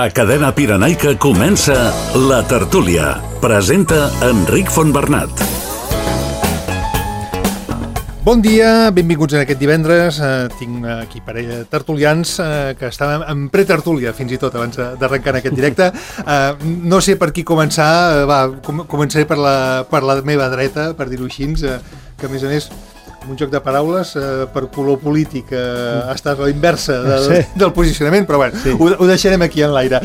A Cadena Pirenaica comença La Tertúlia. Presenta Enric Fontbernat. Bon dia, benvinguts en aquest divendres. Tinc aquí parella de tertulians que estàvem en pretertúlia fins i tot abans d'arrencar en aquest directe. No sé per qui començar, començaré per la meva dreta, per dir-ho així, que a més a més un joc de paraules per color polític estàs a la inversa del posicionament, però bueno, sí. Ho deixarem aquí en l'aire.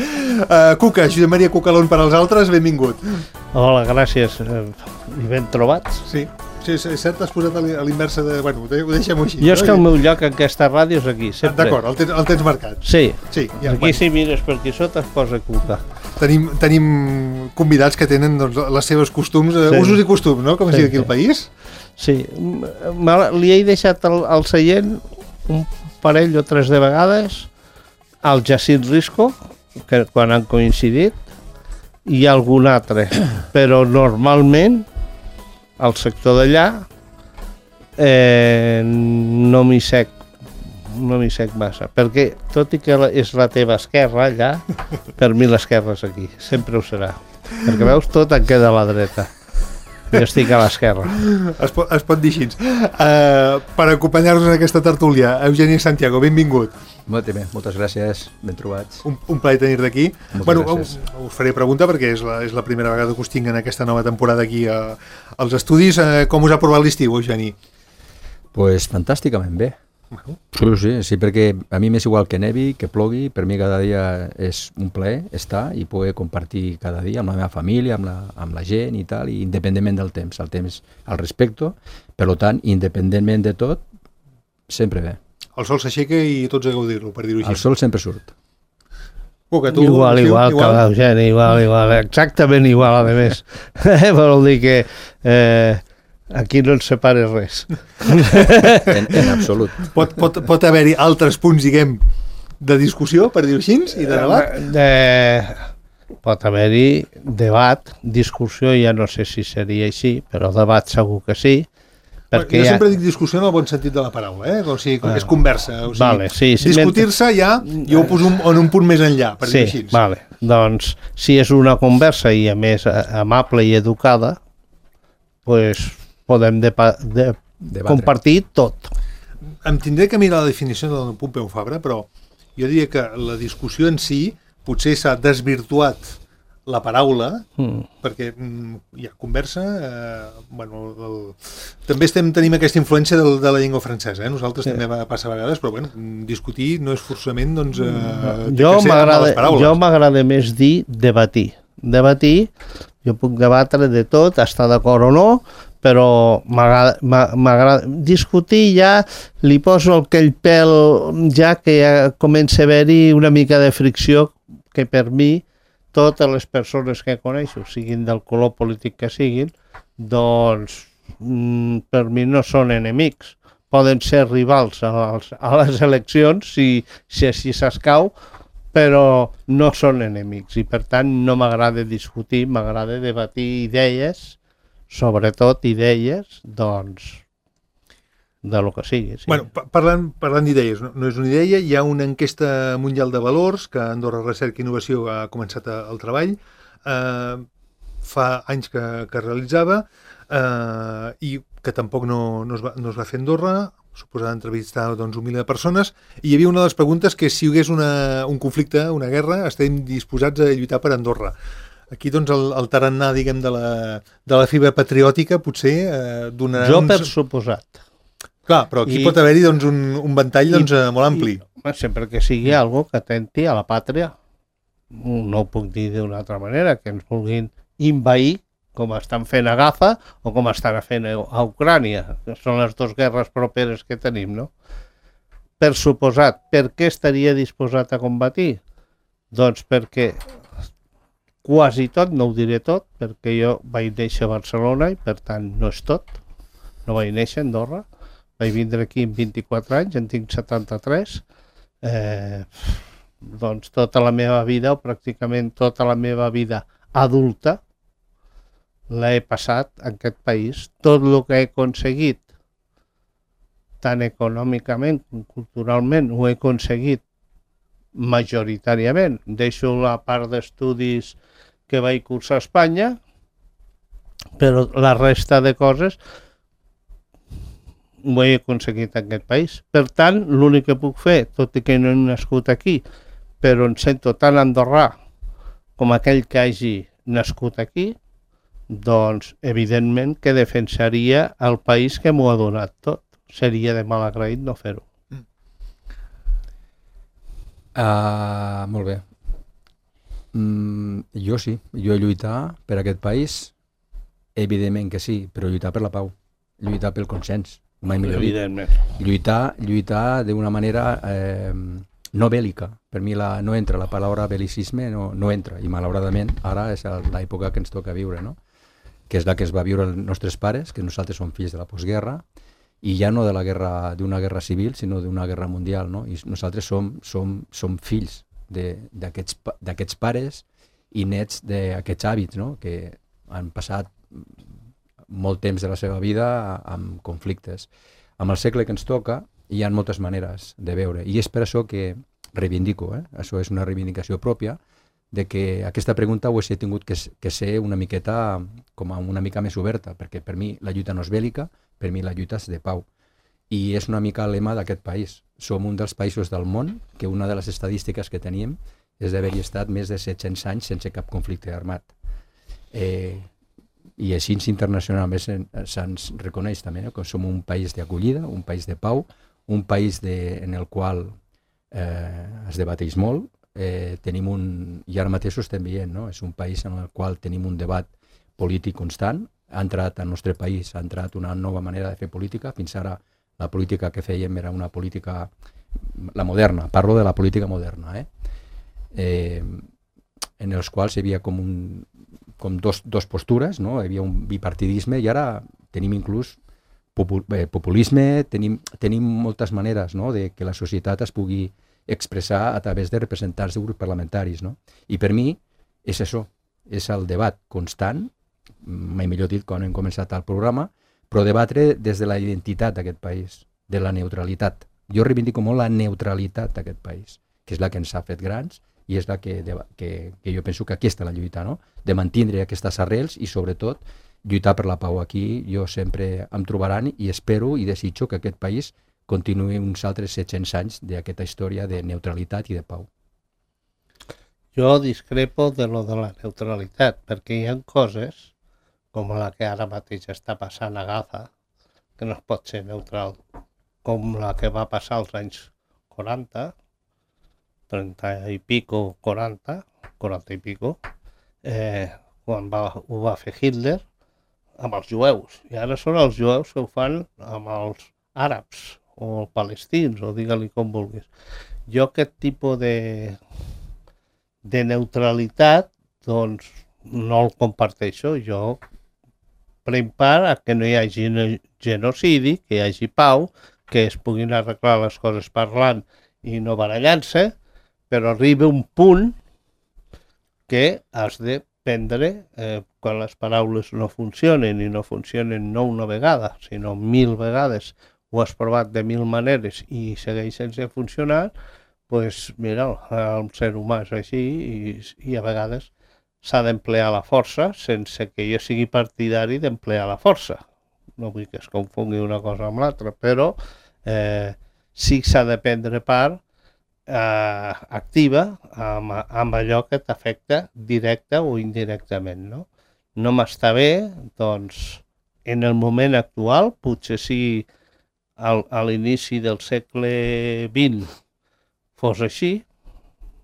Cuca, Josep Maria Cucalón per als altres, benvingut. Hola, gràcies. I ben trobats. Sí, és cert, t'has posat a l'inversa de... Bueno, ho deixem així. Jo és que el meu lloc en aquesta ràdio és aquí, sempre. D'acord, el tens marcat. Sí, ja, aquí si mires per aquí sota es posa Cuca. Tenim convidats que tenen les seves costums, usos i costums, no? Com es diu aquí al país. Sí, li he deixat al seient un parell o tres de vegades al Jacint Risco, que quan han coincidit, i algun altre, però normalment al sector d'allà no m'hi sec massa, perquè tot i que és la teva esquerra allà, per mi l'esquerra és aquí, sempre ho serà, perquè veus, tot em queda a la dreta. Jo estic a l'esquerra. Es pot dir així. Per acompanyar-nos en aquesta tertúlia, Eugeni Santiago, benvingut. Molt bé, moltes gràcies, ben trobats. Un plaer tenir-te aquí. Bueno, gràcies. us faré pregunta perquè és la primera vegada que us tinc en aquesta nova temporada aquí als estudis. Com us ha provat l'estiu, Eugeni? Pues fantàsticament bé. Sí, perquè a mi m'és igual que nevi, que plogui, per mi cada dia és un plaer estar i poder compartir cada dia amb la meva família, amb la gent i tal, i independentment del temps. El temps al respecte, per tant, independentment de tot, sempre bé. El sol s'aixeca i tots a gaudir-lo, per dir-ho així. El sol sempre surt. Tu, igual que l'Eugeni, igual, exactament igual, a més. Vol dir que... aquí no ens separa res. En absolut. Pot haver-hi altres punts, diguem, de discussió, per dir-ho així, i de debat? Pot haver-hi debat, discussió, ja no sé si seria així, però debat segur que sí. Jo sempre dic discussió en el bon sentit de la paraula, o sigui, és conversa. O sigui, vale, sí, discutir-se ja, jo ho poso en un punt més enllà, per dir-ho així. Sí, vale. Doncs, si és una conversa i a més amable i educada, doncs podem compartir tot. Em tindré que mirar la definició del Pompeu Fabra, però jo diria que la discussió en si potser s'ha desvirtuat la paraula, perquè hi ha conversa, també tenim aquesta influència de la llengua francesa, nosaltres també va passar a vegades, però discutir no és forçament jo m'agrada més dir debatir, jo puc debatre de tot, estar d'acord o no, però m'agrada discutir, ja li poso aquell pèl ja que ja comença a haver-hi una mica de fricció que per mi totes les persones que coneixo, siguin del color polític que siguin, doncs per mi no són enemics, poden ser rivals a les eleccions si així s'escau, però no són enemics i per tant no m'agrada discutir, m'agrada debatir idees, sobretot idees, doncs, de lo que sigui. Sí. Bueno, parlant d'idees, no és una idea, hi ha una enquesta mundial de valors que Andorra Recerca i Innovació ha començat el treball, fa anys que realitzava, i que tampoc no es va fer a Andorra, suposada entrevistar un miler de persones, i hi havia una de les preguntes que si hi hagués un conflicte, una guerra, estem disposats a lluitar per Andorra. Aquí, doncs, el tarannà, diguem, de la fibra patriòtica, potser donarà... Jo per suposat. Clar, però aquí pot haver-hi un ventall molt ampli. Sempre que sigui algo que atenti a la pàtria, no ho puc dir d'una altra manera, que ens vulguin invair, com estan fent a Gaza o com estan fent a Ucrània, que són les dues guerres properes que tenim, no? Per suposat, per què estaria disposat a combatir? Doncs perquè... quasi tot, no ho diré tot, perquè jo vaig néixer a Barcelona i per tant no és tot, no vaig néixer a Andorra, vaig vindre aquí amb 24 anys, en tinc 73, doncs tota la meva vida, o pràcticament tota la meva vida adulta, l'he passat en aquest país. Tot el que he aconseguit, tant econòmicament com culturalment, ho he aconseguit majoritàriament. Deixo la part d'estudis que vaig cursar a Espanya, però la resta de coses ho he aconseguit en aquest país. Per tant, l'únic que puc fer, tot i que no he nascut aquí, però em sento tan andorrà com aquell que hagi nascut aquí, doncs, evidentment que defensaria el país que m'ho ha donat tot. Seria de mal agraït no fer-ho. Molt bé. Jo sí, jo lluitar per aquest país, evidentment que sí, però lluitar per la pau, lluitar pel consens, mai millor dit. Lluitar d'una manera no bèl·lica. Per mi no entra la paraula bel·licisme, no entra, i malauradament ara és l'època que ens toca viure, no? Que és la que es va viure els nostres pares, que nosaltres som fills de la postguerra, i ja no d'una guerra civil, sinó d'una guerra mundial, no? I nosaltres som fills d'aquests pares i nets d'aquests hàbits, no? Que han passat molt temps de la seva vida amb conflictes. Amb el segle que ens toca hi ha moltes maneres de veure, i és per això que reivindico, això és una reivindicació pròpia, de que aquesta pregunta ho he tingut que ser una miqueta, com una mica més oberta, perquè per mi la lluita no és bèl·lica, per mi la lluita és de pau. I és una mica el lema d'aquest país. Som un dels països del món que una de les estadístiques que tenim és d'haver-hi estat més de 700 anys sense cap conflicte armat. I així internacionalment se'ns reconeix també, que som un país d'acollida, un país de pau, un país en el qual es debateix molt, i ara mateix ho estem veient, no? És un país en el qual tenim un debat polític constant, ha entrat al nostre país, ha entrat una nova manera de fer política. Fins ara la política que fèiem era una política, la moderna, parlo de la política moderna, en els quals hi havia com dos postures, no? Hi havia un bipartidisme, i ara tenim inclús populisme, tenim moltes maneres, no? De que la societat es pugui expressar a través de representants de grups parlamentaris, no? I per mi és això, és el debat constant, mai millor dit quan hem començat el programa, però debatre des de la identitat d'aquest país, de la neutralitat. Jo reivindico molt la neutralitat d'aquest país, que és la que ens ha fet grans i és la que jo penso que aquesta és la lluita, no? De mantindre aquestes arrels i sobretot lluitar per la pau. Aquí jo sempre em trobaran i espero i desitjo que aquest país continuï uns altres 700 anys d'aquesta història de neutralitat i de pau. Jo discrepo de lo de la neutralitat, perquè hi ha coses, com la que ara mateix està passant a Gaza, que no es pot ser neutral, com la que va passar als anys 40, 30 i pico, 40 i pico, quan ho va fer Hitler amb els jueus. I ara són els jueus que ho fan amb els àrabs, o palestins, o digue-li com vulguis. Jo aquest tipus de neutralitat, doncs, no el comparteixo. Jo prenc part a que no hi hagi genocidi, que hi hagi pau, que es puguin arreglar les coses parlant i no barallant-se, però arriba un punt que has de prendre, quan les paraules no funcionen, i no funcionen no una vegada, sinó 1000 vegades, ho has provat de 1000 maneres i segueix sense funcionar, doncs mira, el ser humà és així i a vegades s'ha d'emplear la força sense que jo sigui partidari d'emplear la força. No vull que es confongui una cosa amb l'altra, però sí que s'ha de prendre part activa amb allò que t'afecta directa o indirectament, no? No m'està bé, doncs, en el moment actual, potser sí a l'inici del segle XX fos així,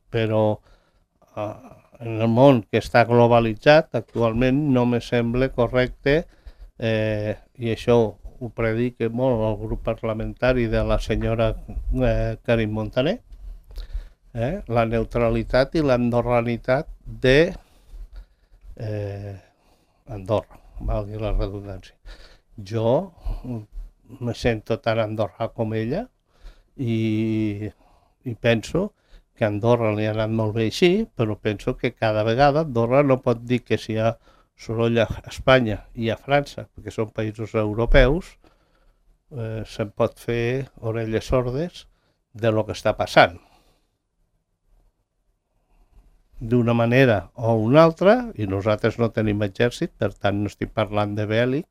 però en el món que està globalitzat actualment no me sembla correcte, i això ho predica molt el grup parlamentari de la senyora Carme Montaner, la neutralitat i l'andorranitat d'Andorra, valgui la redundància. Jo me sento tan andorrà com ella i penso que a Andorra li ha anat molt bé així, però penso que cada vegada Andorra no pot dir que si hi ha soroll a Espanya i a França, perquè són països europeus, se'n pot fer orelles sordes de lo que està passant. d'una manera o una altra, i nosaltres no tenim exèrcit, per tant no estic parlant de bèl·lic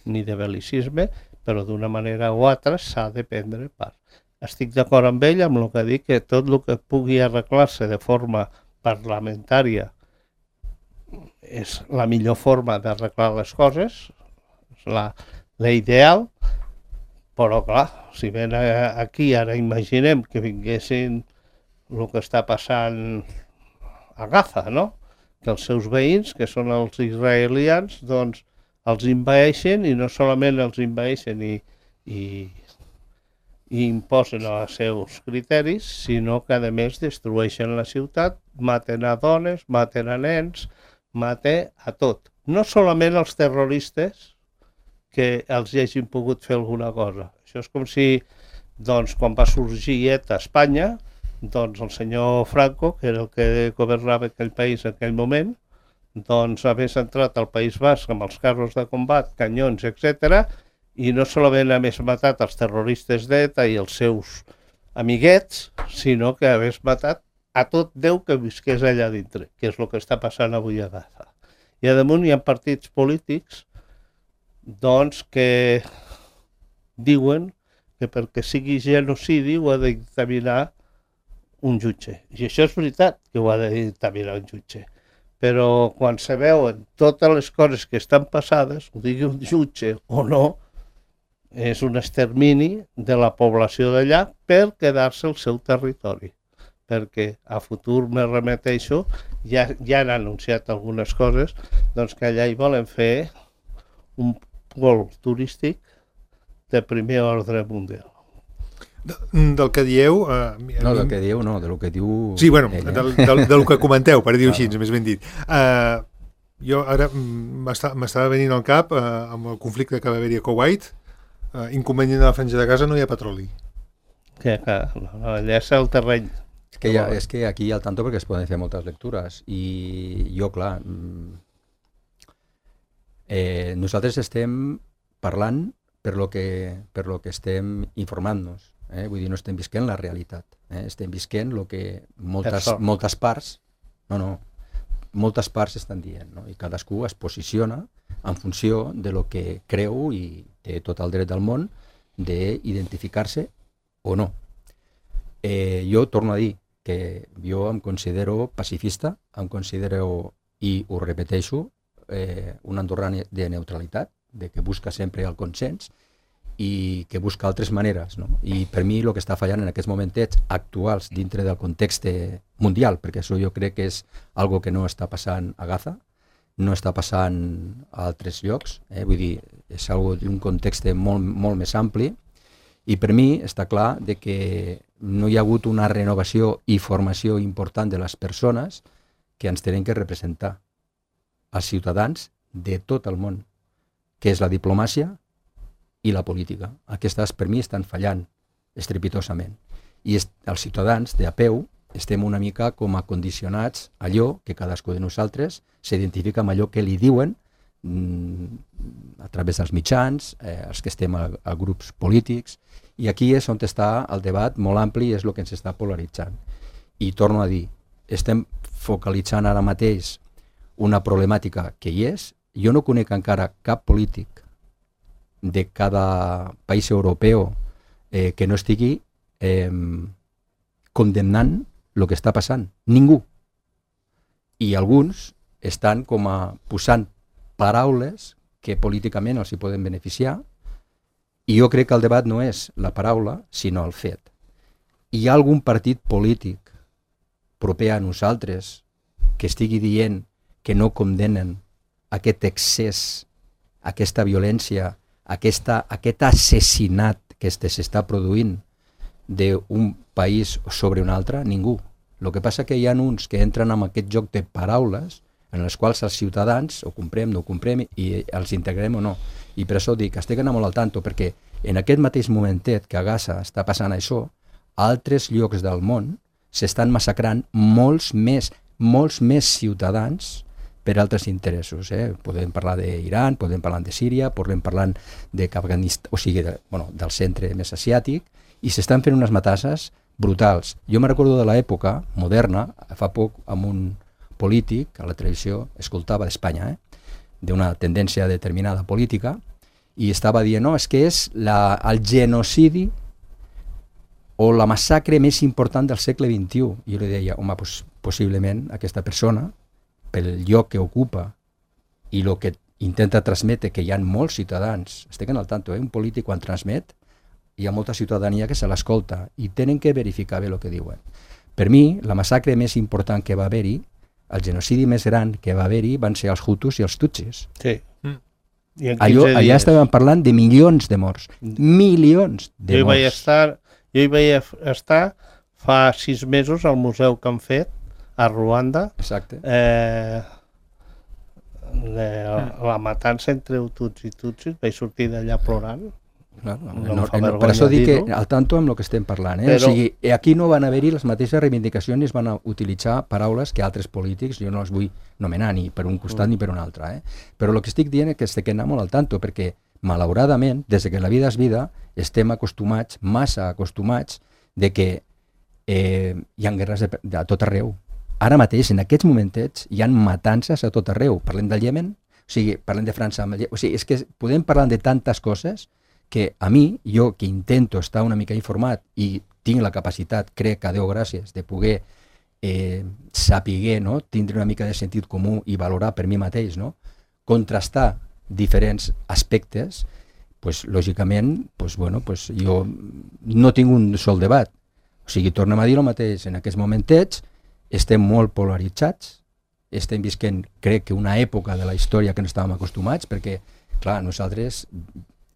ni de bel·licisme, però d'una manera o altra s'ha de prendre part. Estic d'acord amb ell amb el que dic, que tot el que pugui arreglar-se de forma parlamentària és la millor forma d'arreglar les coses, és la ideal, però clar, si ven aquí ara imaginem que vinguessin el que està passant a Gaza, no? Que els seus veïns, que són els israelians, doncs els envaeixen, i no solament els envaeixen i imposen els seus criteris, sinó que a més destrueixen la ciutat, maten a dones, maten a nens, maten a tot. No solament els terroristes que els hagin pogut fer alguna cosa. Això és com si, doncs, quan va sorgir ETA a Espanya, doncs el senyor Franco, que era el que governava aquell país en aquell moment, doncs hagués entrat al País Basc amb els carros de combat, canyons, etc. I no solament hagués matat els terroristes d'ETA i els seus amiguets, sinó que hagués matat a tot Déu que visqués allà dintre, que és el que està passant avui a Gaza. I a damunt hi ha partits polítics doncs que diuen que perquè sigui genocidi ho ha de dictaminar un jutge. I això és veritat, que ho ha de dictaminar un jutge. Però quan se veuen totes les coses que estan passades, ho digui un jutge o no, és un extermini de la població d'allà per quedar-se al seu territori. Perquè a futur me remeteixo, ja han anunciat algunes coses, doncs que allà hi volen fer un pol turístic de primer ordre mundial. Del que dieu... No, del que dieu no, del que diu... Sí, bueno, del que comenteu, per dir-ho així, més ben dit. Jo ara m'estava venint al cap, amb el conflicte que va haver-hi a Kuwait, inconvenient de la Franja de Gaza, no hi ha petroli. Allà és el terreny. És que aquí al tanto perquè es poden fer moltes lectures i jo, clar, nosaltres estem parlant per lo que estem informant-nos. Vull dir, no estem visquent la realitat. Estem visquent el que moltes parts estan dient, no? I cadascú es posiciona en funció de lo que creu i té tot el dret del món d'identificar-se o no. Jo torno a dir que jo em considero pacifista, em considero, i ho repeteixo, un andorrà de neutralitat, de que busca sempre el consens i que busca altres maneres, no? I per mi el que està fallant en aquests momentets actuals dintre del context mundial, perquè això jo crec que és algo que no està passant a Gaza, no està passant a altres llocs, vull dir, és algo d'un context molt, molt més ampli, i per mi està clar de que no hi ha hagut una renovació i formació important de les persones que ens tenen que representar, als ciutadans de tot el món, que és la diplomàcia i la política. Aquestes per mi estan fallant estrepitosament. I els ciutadans de a peu estem una mica com a condicionats a allò que cadascú de nosaltres s'identifica amb allò que li diuen a través dels mitjans, els que estem a grups polítics, i aquí és on està el debat molt ampli i és el que ens està polaritzant. I torno a dir, estem focalitzant ara mateix una problemàtica que hi és. Jo no conec encara cap polític de cada país europeu que no estigui condemnant el que està passant. Ningú. I alguns estan com a posant paraules que políticament els hi poden beneficiar, i jo crec que el debat no és la paraula, sinó el fet. Hi ha algun partit polític proper a nosaltres que estigui dient que no condemnen aquest excés, aquesta violència, aquest assassinat que s'està produint d'un país sobre un altre? Ningú. El que passa que hi ha uns que entren en aquest joc de paraules en les quals els ciutadans ho comprem, no ho comprem i els integrem o no. I per això dic, estic anant molt al tanto, perquè en aquest mateix momentet que a Gaza està passant això, a altres llocs del món s'estan massacrant molts més ciutadans per altres interessos. Podem parlar d'Iran, podem parlar de Síria, podem parlar d'Afganistan, o sigui, del centre més asiàtic, i s'estan fent unes matasses brutals. Jo me recordo de l'època moderna, fa poc, amb polític a la televisió, escoltava d'Espanya, d'una tendència determinada política, i estava dient, no, és que és el genocidi o la massacre més important del segle XXI. I jo li deia, home, doncs, possiblement aquesta persona, pel lloc que ocupa i el que intenta transmetre, que hi ha molts ciutadans, estic al tanto, un polític quan transmet, hi ha molta ciutadania que se l'escolta i tenen que verificar bé el que diuen. Per mi, la massacre més important que va haver-hi, el genocidi més gran que va haver-hi, van ser els hutus i els tutsis. Sí. Allà estàvem parlant de milions de morts. Milions de morts. Jo hi vaig estar fa 6 mesos al museu que han fet a Ruanda. Exacte. La matança entre hutus i tutsis, vaig sortir d'allà plorant. Per això dic que al tanto amb el que estem parlant. Però... O sigui, aquí no van haver-hi les mateixes reivindicacions ni es van utilitzar paraules que altres polítics, jo no les vull nomenar ni per un costat ni per un altre. Però el que estic dient és que estic anant molt al tanto, perquè malauradament, des que la vida és vida, estem acostumats, massa acostumats, de que hi ha guerres a tot arreu. Ara mateix, en aquests momentets, hi ha matances a tot arreu. Parlem del Iemen, o sigui, parlem de França, o sigui, és que podem parlar de tantes coses que a mi, jo que intento estar una mica informat i tinc la capacitat, crec que a Déu gràcies, de poder saber, no? Tindre una mica de sentit comú i valorar per mi mateix, no? Contrastar diferents aspectes, pues, lògicament, pues, bueno, pues, jo no tinc un sol debat. O sigui, tornem a dir el mateix, en aquests momentets estem molt polaritzats, estem visquent, crec que una època de la història que no estàvem acostumats, perquè, clar, nosaltres,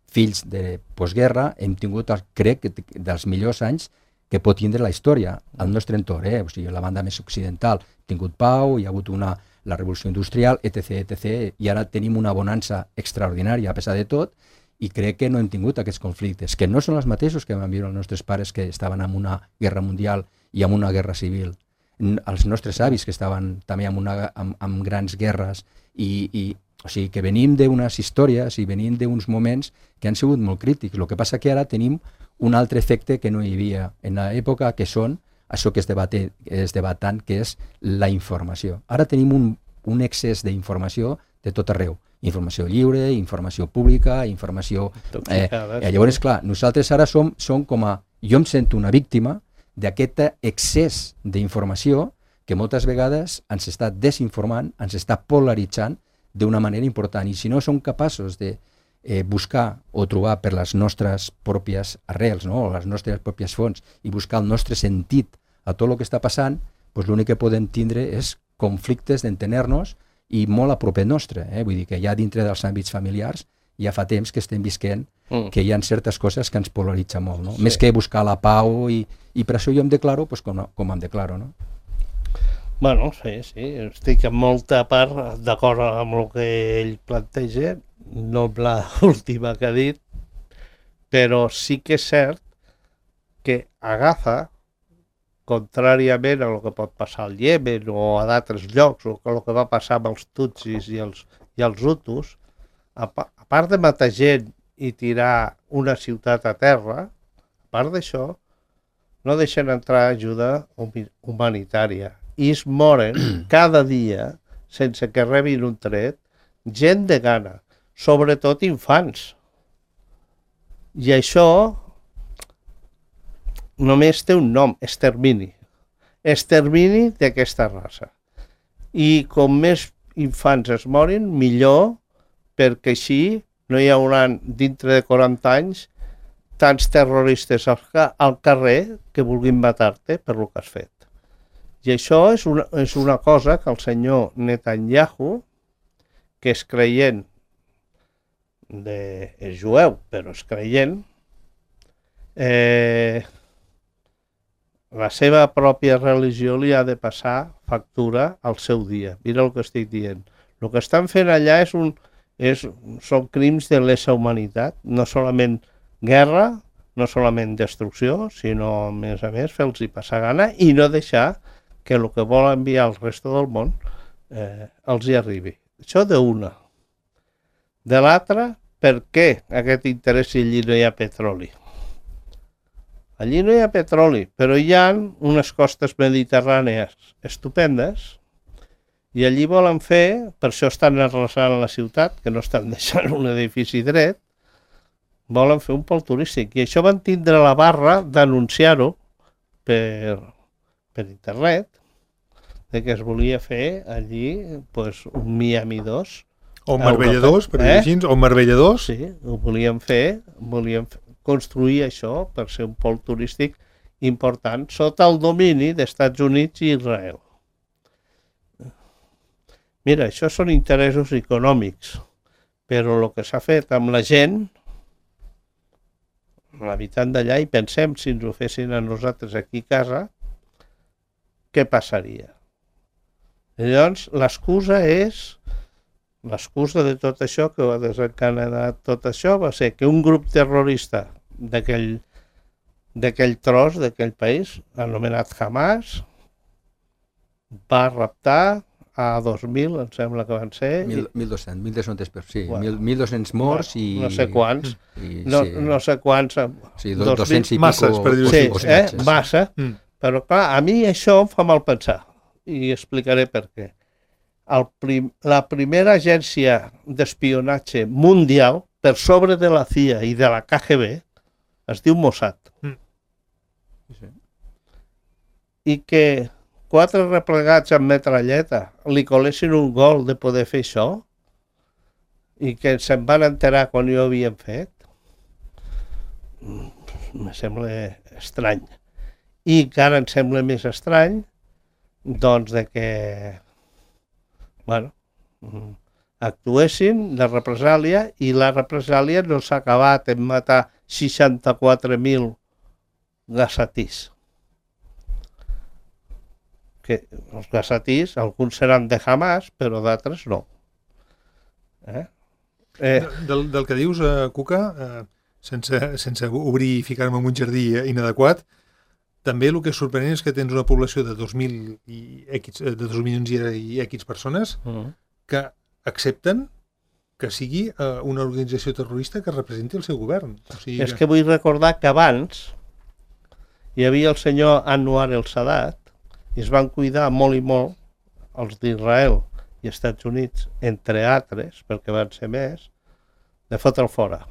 fills de postguerra, hem tingut, crec, dels millors anys que pot tindre la història al nostre entorn, o sigui, la banda més occidental. Hem tingut pau, hi ha hagut la revolució industrial, etc., i ara tenim una bonança extraordinària a pesar de tot, i crec que no hem tingut aquests conflictes, que no són els mateixos que van viure els nostres pares que estaven en una guerra mundial i en una guerra civil. Els nostres avis que estaven també en grans guerres o sigui, que venim d'unes històries i venim d'uns moments que han sigut molt crítics. El que passa que ara tenim un altre efecte que no hi havia en l'època, que són això que es debat tant, que és la informació. Ara tenim un excés d'informació de tot arreu. Informació lliure, informació pública, informació... Llavors, clar, nosaltres ara som com a... Jo em sento una víctima d'aquest excés d'informació que moltes vegades ens està desinformant, ens està polaritzant d'una manera important. I si no som capaços de buscar o trobar per les nostres pròpies arrels, no? O les nostres pròpies fonts, i buscar el nostre sentit a tot el que està passant, doncs l'únic que podem tindre és conflictes d'entendre-nos i molt a propet nostre. Vull dir que ja dintre dels àmbits familiars ja fa temps que estem visquent que hi ha certes coses que ens polaritzen molt, no? Sí. Més que buscar la pau i per això jo em declaro com em declaro, no? Bueno, sí, estic en molta part d'acord amb el que ell planteja, no amb l'última que ha dit, però sí que és cert que agafa, contràriament a el que pot passar al Iemen o a d'altres llocs, o el que va passar amb els tutsis i els hutus, a part de matar gent i tirar una ciutat a terra, a part d'això, no deixen entrar ajuda humanitària. I es moren cada dia, sense que rebin un tret, gent de gana, sobretot infants. I això només té un nom, extermini. Extermini d'aquesta raça. I com més infants es morin, millor, perquè així no hi haurà dintre de 40 anys tants terroristes al carrer que vulguin matar-te per el que has fet. I això és una cosa que el senyor Netanyahu, que és creient, és jueu, però és creient, la seva pròpia religió li ha de passar factura al seu dia. Mira el que estic dient. El que estan fent allà són crims de lesa humanitat, no solament guerra, no solament destrucció, sinó, a més, fer-los passar gana i no deixar que el que vol enviar al resto del món els hi arribi. Això d'una. De l'altra, per què aquest interès si allí no hi ha petroli? Allí no hi ha petroli, però hi ha unes costes mediterrànies estupendes I allí volen fer, per això estan arrasant la ciutat, que no estan deixant un edifici dret, volen fer un pol turístic. I això van tindre la barra d'anunciar-ho per internet, de que es volia fer allí pues, un Miami 2. O un Marbella 2, per dir així, o un Marbella 2. Sí, ho volien fer, construir això per ser un pol turístic important sota el domini d'Estats Units i Israel. Mira, això són interessos econòmics, però el que s'ha fet amb la gent, l'habitant d'allà, i pensem si ens ho fessin a nosaltres aquí a casa, què passaria? I llavors, l'excusa de tot això, que va desencadenar tot això, va ser que un grup terrorista d'aquell tros, d'aquell país, anomenat Hamas, va raptar a 2.000, em sembla que van ser... 1.200 persones, sí, bueno, 1.200 morts i... No sé quants, no sé quants... Sí, 200 i masses, per dir-ho així. Sí, massa, però clar, a mi això em fa mal pensar, i explicaré per què. La primera agència d'espionatge mundial, per sobre de la CIA i de la KGB, es diu Mossad. Sí. I que 4 replegats amb metralleta li colessin un gol de poder fer això i que se'n van enterar quan ho havien fet, me sembla estrany. I encara em sembla més estrany doncs de que actuessin de represàlia i la represàlia no s'ha acabat en matar 64.000 gassatís. Que els gassatís, alguns seran de Hamas, però d'altres no. Del que dius, Cuca, sense obrir i ficar-me en un jardí inadequat, també el que és sorprenent és que tens una població de 2 milions i X persones que accepten que sigui una organització terrorista que representi el seu govern. O sigui és que vull recordar que abans hi havia el senyor Anwar el-Sadat i es van cuidar molt i molt els d'Israel i Estats Units, entre altres, perquè van ser més, de fotre'l fora.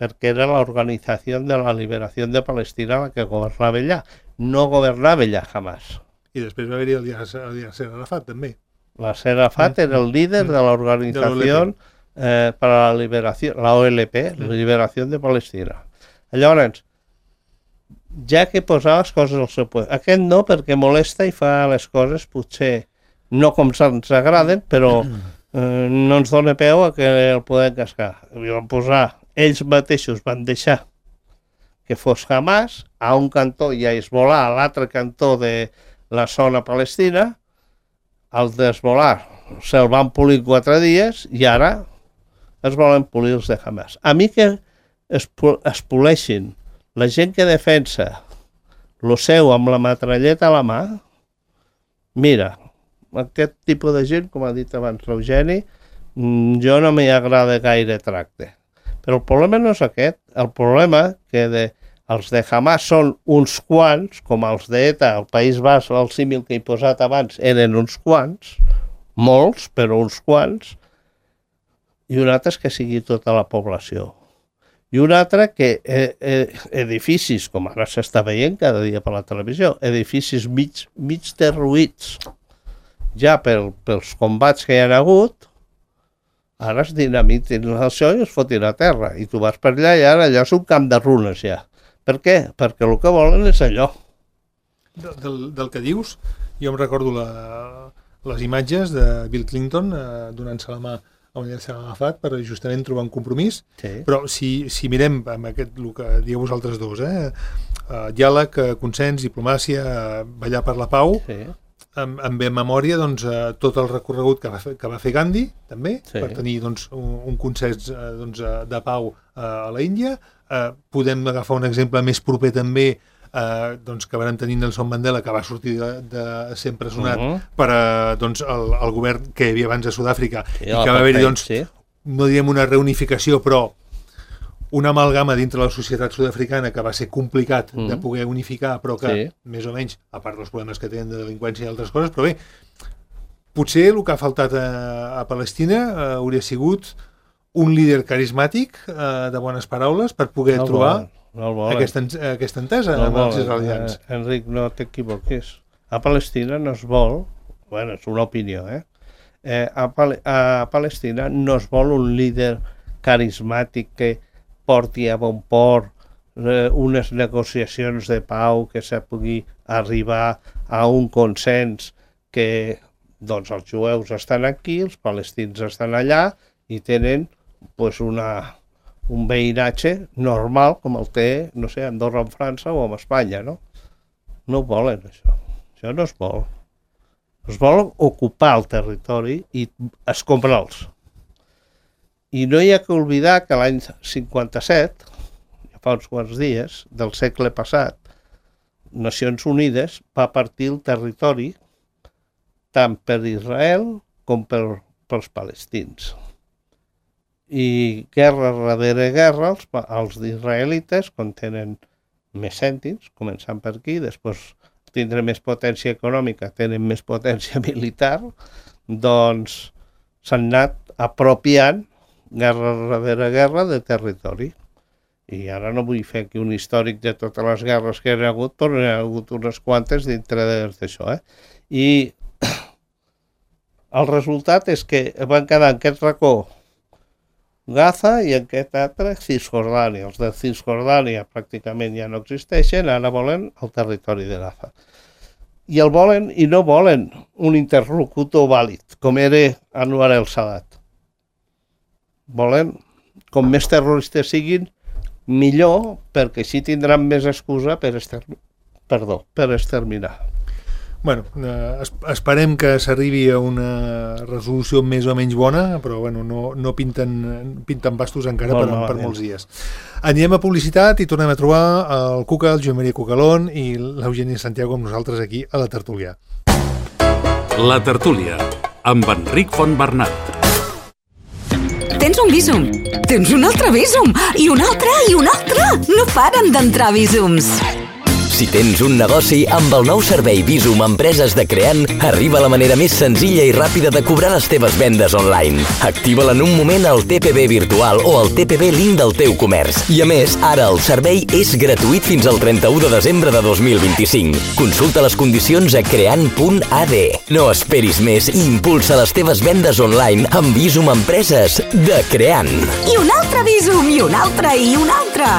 Perquè era l'Organització de la Liberació de Palestina la que governava allà. No governava allà Hamas. I després va haver-hi el Yasser Arafat, també. Yasser Arafat era el líder de l'Organització per a la Liberació, la OLP, la Liberació de Palestina. Llavors, ja que posava les coses al seu lloc. Aquest no, perquè molesta i fa les coses potser no com ens agraden, però no ens dona peu a que el podem cascar. Van posar, ells mateixos van deixar que fos Hamas, a un cantó i a Hezbollah, a l'altre cantó de la zona palestina, el d'Hezbollah se'l van polir 4 dies i ara es volen polir els de Hamas. A mi que es poleixin la gent que defensa lo seu amb la metralleta a la mà, mira, aquest tipus de gent, com ha dit abans l'Eugeni, jo no m'hi agrada gaire tracte. Però el problema no és aquest. El problema que els de Hamas són uns quants, com els d'ETA, el País Basc, el símil que he posat abans, eren uns quants, molts, però uns quants, i un altre és que sigui tota la població. I un altre que edificis, com ara s'està veient cada dia per la televisió, edificis mig derruïts, ja pels combats que hi ha hagut, ara es dinamitin això i es fotin a terra. I tu vas per allà i ara allò és un camp de runes ja. Per què? Perquè el que volen és allò. Del que dius, jo em recordo les imatges de Bill Clinton donant-se la mà a un Yasser Arafat per justament trobar un compromís. Sí. Però si mirem amb el que dieu vosaltres dos, diàleg, consens, diplomàcia, ballar per la pau, sí. Em ve en memòria doncs, tot el recorregut que va fer Gandhi, també, sí. Per tenir doncs, un consens de pau a la Índia. Podem agafar un exemple més proper també doncs, que van tenir Nelson Mandela, que va sortir de ser empresonat per doncs, el govern que hi havia abans a Sud-àfrica, i que va haver-hi, doncs, no direm una reunificació, però una amalgama dintre la societat sud-africana que va ser complicat de poder unificar, però que més o menys, a part dels problemes que tenen de delinqüència i altres coses, però bé, potser el que ha faltat a Palestina hauria sigut un líder carismàtic de bones paraules per poder trobar aquesta entesa amb els israelians. Enric, no t'equivoquis. A Palestina no es vol, bueno, és una opinió, a Palestina no es vol un líder carismàtic que porti a bon port unes negociacions de pau, que se pugui arribar a un consens que doncs els jueus estan aquí, els palestins estan allà i tenen pues, un veïnatge normal com el té, no sé, Andorra amb França o amb Espanya, no? No ho volen, això. Això no es vol. Es vol ocupar el territori i escombrar'ls. I no hi ha que oblidar que l'any 57, fa uns quants dies, del segle passat, Nacions Unides va partir el territori tant per Israel com pels palestins. I guerra darrere guerra, els israelites, quan tenen més cèntims, començant per aquí, després tindre més potència econòmica, tenen més potència militar, doncs s'han anat apropiant guerra darrere guerra de territori. I ara no vull fer aquí un històric de totes les guerres que hi ha hagut, però hi ha hagut unes quantes dintre d'això. I el resultat és que van quedar en aquest racó Gaza i en aquest altre Cisjordània. Els de Cisjordània pràcticament ja no existeixen, ara volen el territori de Gaza. I el volen i no volen un interlocutor vàlid, com era Anwar el-Sadat. Volen, com més terroristes siguin, millor, perquè així tindran més excusa per exterminar. Bueno, esperem que s'arribi a una resolució més o menys bona, però bueno, no pinten bastos encara per molts dies. Anirem a publicitat i tornem a trobar el Cuca, el Joan Maria Cucalón i l'Eugeni Santiago amb nosaltres aquí a la tertúlia. La tertúlia, amb Enric Fontbernat. Tens un Bizum, tens un altre Bizum, i un altre, i un altre. No paren d'entrar Bizums. Si tens un negoci, amb el nou servei Bizum Empreses de Creant, arriba la manera més senzilla i ràpida de cobrar les teves vendes online. Activa-la en un moment al TPB virtual o al TPB link del teu comerç. I a més, ara el servei és gratuït fins al 31 de desembre de 2025. Consulta les condicions a creant.ad. No esperis més i impulsa les teves vendes online amb Bizum Empreses de Creant. I un altre Bizum, i un altre, i un altre.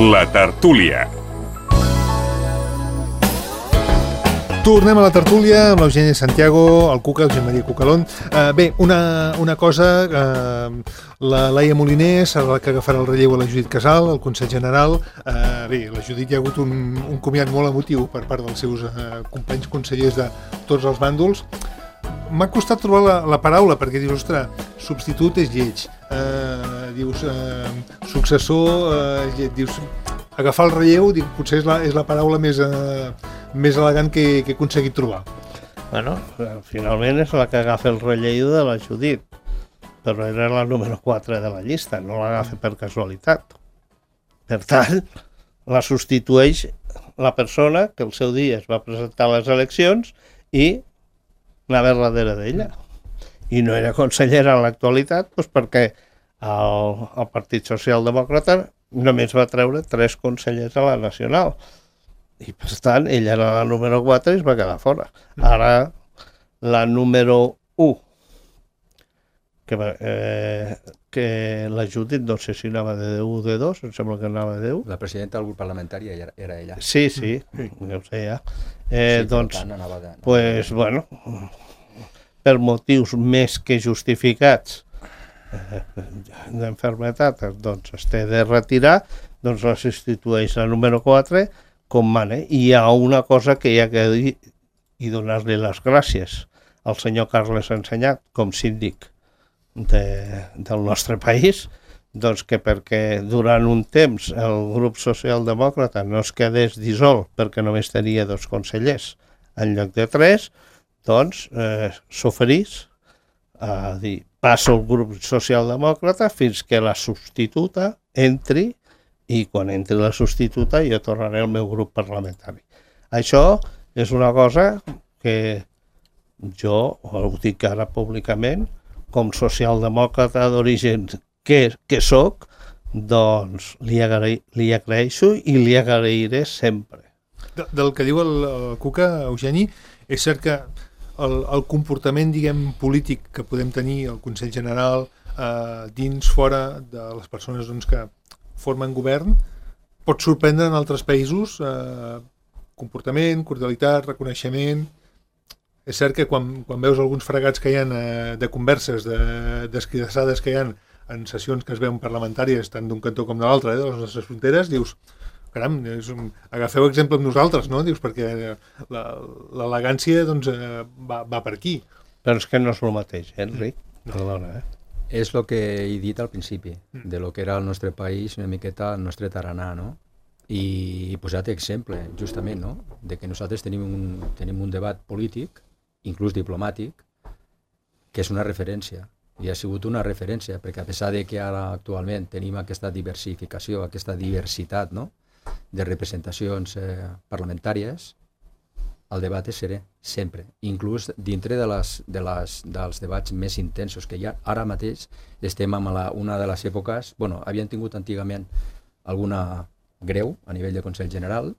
La tertúlia. Tornem a la tertúlia amb l'Eugeni Santiago, el Cuca, el Joan Maria Cucalón. Bé, una cosa, la Laia Moliner serà la que agafarà el relleu a la Judit Casal, el Consell General. Bé, la Judit hi ha hagut un comiat molt emotiu per part dels seus companys consellers de tots els bàndols. M'ha costat trobar la paraula, perquè dius, ostres, substitut és lleig. Dius, successor, dius, agafar el relleu, potser és la paraula més elegant que he aconseguit trobar. Bueno, finalment és la que agafa el relleu de la Judit, però era la número 4 de la llista, no l'agafa per casualitat. Per tant, la substitueix la persona que el seu dia es va presentar a les eleccions i anava darrere d'ella. I no era consellera en l'actualitat doncs perquè el Partit Socialdemòcrata només va treure 3 consellers a la Nacional. I per tant, ella era la número 4 i es va quedar fora. Ara, la número 1, que la Judit, no sé si anava de 1 o de 2, em sembla que anava de 1. La presidenta del grup parlamentari era ella. Sí, ja ho sé ja. Doncs, pues, bueno, per motius més que justificats d'enfermetat, doncs es té de retirar, doncs la substitueix la número 4 com mana. I hi ha una cosa que hi ha que dir i donar-li les gràcies al senyor Carles Ensenyat com síndic del nostre país, doncs que perquè durant un temps el grup socialdemòcrata no es quedés dissolt perquè només tenia 2 consellers en lloc de 3, doncs s'oferís passo el grup socialdemòcrata fins que la substituta entri i quan entri la substituta jo tornaré al meu grup parlamentari. Això és una cosa que jo ho dic ara públicament, com socialdemòcrata d'origen que soc, doncs li agraeixo i li agrairé sempre. Del que diu el Cuca, Eugeni, és cert que el comportament, diguem, polític que podem tenir al Consell General, dins, fora de les persones que formen govern, pot sorprendre en altres països, comportament, cordialitat, reconeixement. És cert que quan veus alguns fregats que hi ha de converses, d'escridassades que hi ha en sessions que es veuen parlamentàries tant d'un cantó com de l'altre, de les nostres fronteres, dius, caram, agafeu exemple amb nosaltres, no? Dius, perquè l'elegància va per aquí. Però és que no és el mateix, Enric? Perdona, És el que he dit al principi, de lo que era el nostre país, una miqueta el nostre taranà, no? I he posat exemple, justament, no? De que nosaltres tenim un debat polític, inclús diplomàtic, que és una referència. I ha sigut una referència, perquè a pesar de que ara actualment tenim aquesta diversificació, aquesta diversitat, no?, de representacions parlamentàries, el debat és serè, sempre. Inclús dintre dels debats més intensos que hi ha. Ara mateix estem en una de les èpoques, havien tingut antigament alguna greu a nivell de Consell General,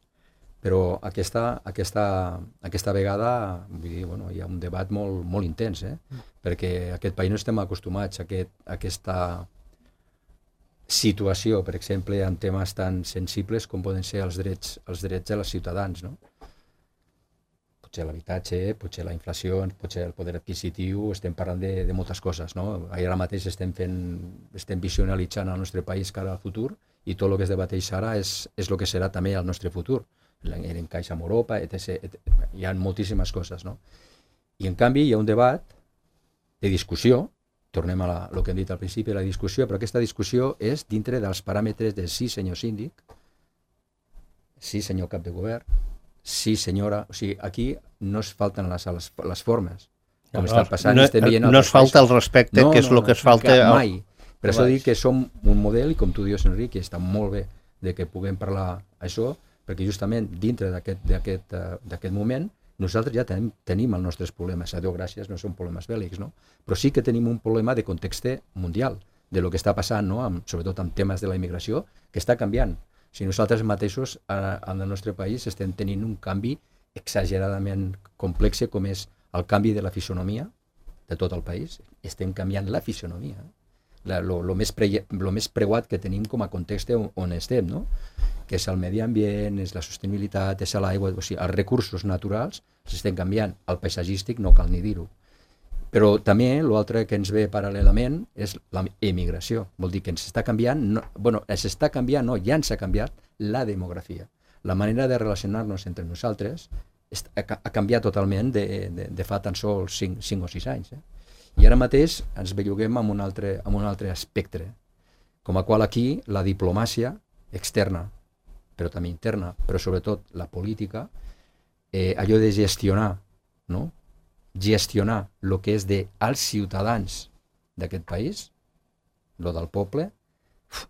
però aquesta vegada vull dir, hi ha un debat molt intens, perquè aquest país no estem acostumats a aquesta situació, per exemple, en temes tan sensibles com poden ser els drets dels ciutadans, no? Potser l'habitatge, potser la inflació, potser el poder adquisitiu, estem parlant de moltes coses, no? Ara mateix estem visionalitzant el nostre país cara al futur i tot el que es debateix ara és el que serà també el nostre futur, l'encaix amb Europa, etc. Hi ha moltíssimes coses, no? I en canvi hi ha un debat de discussió, tornem a el que hem dit al principi, la discussió, però aquesta discussió és dintre dels paràmetres de sí senyor síndic, sí senyor cap de govern, sí senyora, o sigui, aquí no es falten les formes, com està passant, estem veient... No es falta el respecte, que és el que es falta... Mai. Per això dic que som un model, i com tu dius, Enric, i està molt bé de que puguem parlar això, perquè justament dintre d'aquest moment nosaltres ja tenim els nostres problemes, a Déu gràcies, no són problemes bèl·lics, no? Però sí que tenim un problema de context mundial, de lo que està passant, no? Sobretot amb temes de la immigració, que està canviant. Si nosaltres mateixos en el nostre país estem tenint un canvi exageradament complex, com és el canvi de la fisonomia de tot el país, estem canviant la fisonomia. Lo més preuat que tenim com a context on estem, no? Que és el medi ambient, és la sostenibilitat, és l'aigua, o sigui, els recursos naturals s'estan canviant, el paisatgístic no cal ni dir-ho. Però també l'altre que ens ve paral·lelament és l'emigració, vol dir que ens està canviant, ja ens ha canviat la demografia. La manera de relacionar-nos entre nosaltres ha canviat totalment de fa tan sols 5 o 6 anys. I ara mateix ens belluguem amb un altre aspecte, com a qual aquí la diplomàcia externa, però també interna, però sobretot la política, allò de gestionar, no? Gestionar el que és dels ciutadans d'aquest país, el del poble,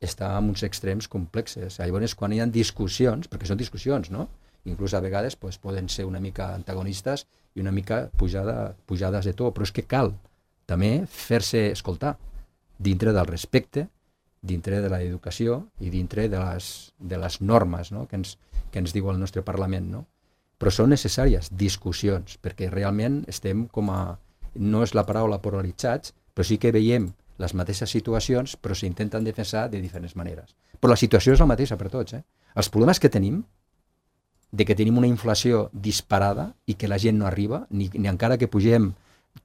està en uns extrems complexes. Llavors, quan hi ha discussions, perquè són discussions, no? Inclús a vegades poden ser una mica antagonistes i una mica pujades de to, però és que cal també fer-se escoltar dintre del respecte, dintre de l'educació i dintre de les normes, no? que ens diu el nostre Parlament. No? Però són necessàries discussions, perquè realment estem no és la paraula polaritzats, però sí que veiem les mateixes situacions, però s'intenten defensar de diferents maneres. Però la situació és la mateixa per tots. Els problemes que tenim, de que tenim una inflació disparada i que la gent no arriba, ni encara que pugem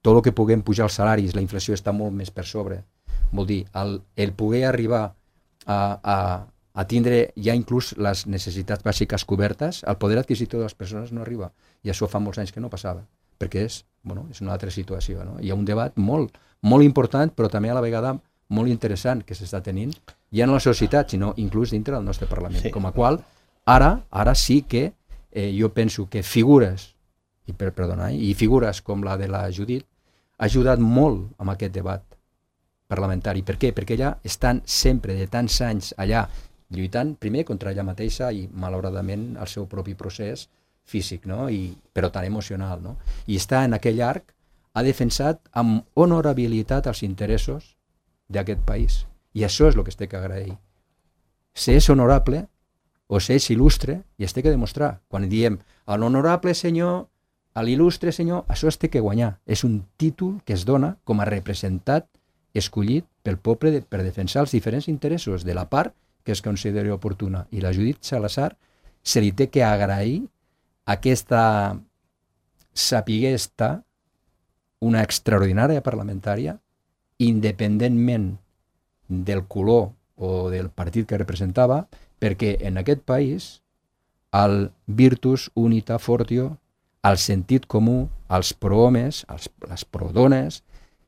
tot el que puguem pujar els salaris, la inflació està molt més per sobre. Vol dir, el poder arribar a tindre ja inclús les necessitats bàsiques cobertes, el poder adquisitiu de les persones no arriba. I això fa molts anys que no passava, perquè és una altra situació. No? Hi ha un debat molt important, però també a la vegada molt interessant que s'està tenint, ja no a la societat, sinó inclús dintre del nostre Parlament. Sí. Com a qual, ara sí que jo penso que figures, i figures com la de la Judit, ha ajudat molt amb aquest debat parlamentari. Per què? Perquè ella estan sempre, de tants anys allà, lluitant primer contra ella mateixa i malauradament el seu propi procés físic, no? Però tan emocional, no? I està en aquell arc, ha defensat amb honorabilitat els interessos d'aquest país. I això és el que es té que agrair. S'és honorable o s'és il·lustre i es té que demostrar. Quan diem a l'honorable senyor, a l'il·lustre senyor, això es té que guanyar. És un títol que es dona com a representat escollit pel poble per defensar els diferents interessos de la part que es consideri oportuna. I la Judit Salazar se li té que agrair aquesta saber estar una extraordinària parlamentària independentment del color o del partit que representava, perquè en aquest país el virtus unita fortio, el sentit comú, els prohomes, les prodones,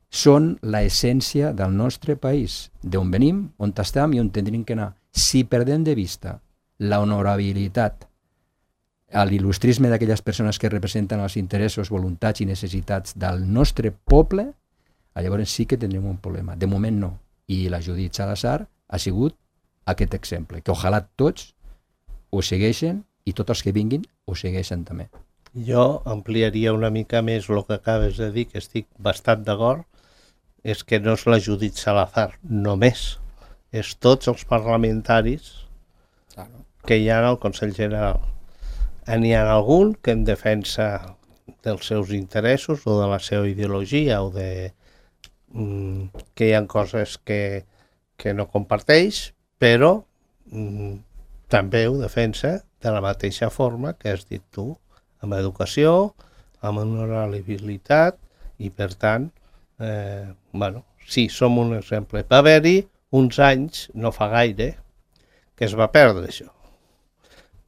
són l'essència del nostre país, d'on venim, on estem i on tindríem que anar. Si perdem de vista la honorabilitat, l'il·lustrisme d'aquelles persones que representen els interessos, voluntats i necessitats del nostre poble, llavors sí que tindrem un problema. De moment no. I la Judit Salazar ha sigut aquest exemple, que ojalà tots ho segueixen i tots els que vinguin ho segueixen també. Jo ampliaria una mica més el que acabes de dir, que estic bastant d'acord, és que no és la Judit Salazar només, és tots els parlamentaris que hi ha al Consell General. N'hi ha algun que en defensa dels seus interessos o de la seva ideologia o de que hi ha coses que no comparteix, però també ho defensa de la mateixa forma que has dit tu, amb educació, amb honorabilitat i, per tant, sí, som un exemple. Va haver-hi uns anys, no fa gaire, que es va perdre això.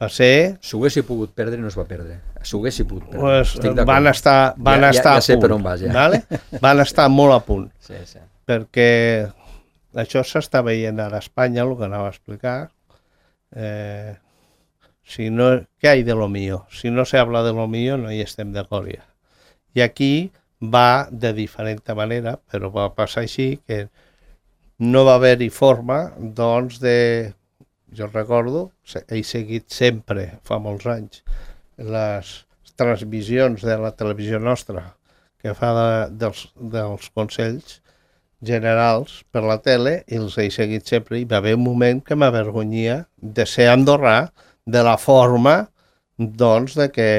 Va ser... S'ho haguessi pogut perdre i no es va perdre. S'ho haguessi pogut perdre. Pues van estar a punt. Per on vas, ja. Vale? Van estar molt a punt. Sí. Perquè això s'està veient ara a Espanya, el que anava a explicar. ¿Qué hay de lo mío? Si no se habla de lo mío, no hi estem d'acord ja. I aquí va de diferent manera, però va passar així que no va haver-hi forma, doncs, de... Jo recordo, he seguit sempre, fa molts anys, les transmissions de la televisió nostra que fa dels Consells Generals per la tele, i els he seguit sempre, i va haver un moment que m'avergonyia de ser andorrà de la forma, doncs, de que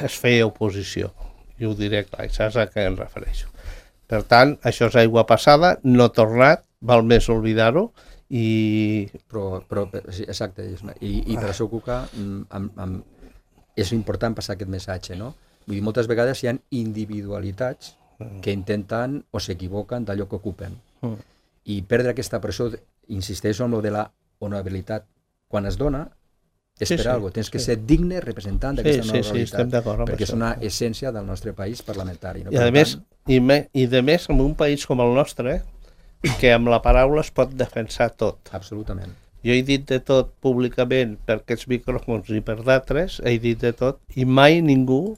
es feia oposició. I ho diré clar, saps a què em refereixo. Per tant, això és aigua passada, no ha tornat, val més oblidar-ho, Però sí, exacte, i per això, Cuca, és important passar aquest missatge, no? Vull dir, moltes vegades hi ha individualitats que intenten o s'equivoquen d'allò que ocupen, i perdre aquesta pressió, insisteixo en lo de la honorabilitat, quan es dona és per alguna cosa, tens que ser digne representant d'aquesta honorabilitat, perquè és una essència del nostre país parlamentari, no? I de més en un país com el nostre, que amb la paraula es pot defensar tot. Absolutament. Jo he dit de tot públicament per aquests micròfons i per d'altres, he dit de tot, i mai ningú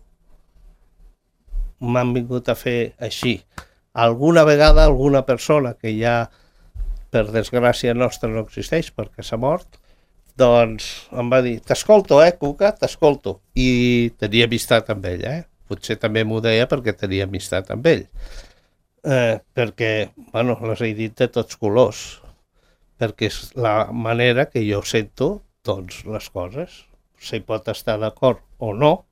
m'han vingut a fer així. Alguna vegada alguna persona que ja, per desgràcia nostra, no existeix perquè s'ha mort, doncs em va dir, t'escolto, Cuca, t'escolto. I tenia amistat amb ell, Potser també m'ho deia perquè tenia amistat amb ell. Perquè, les he dit de tots colors, perquè és la manera que jo sento, doncs, les coses. Si pot estar d'acord o no,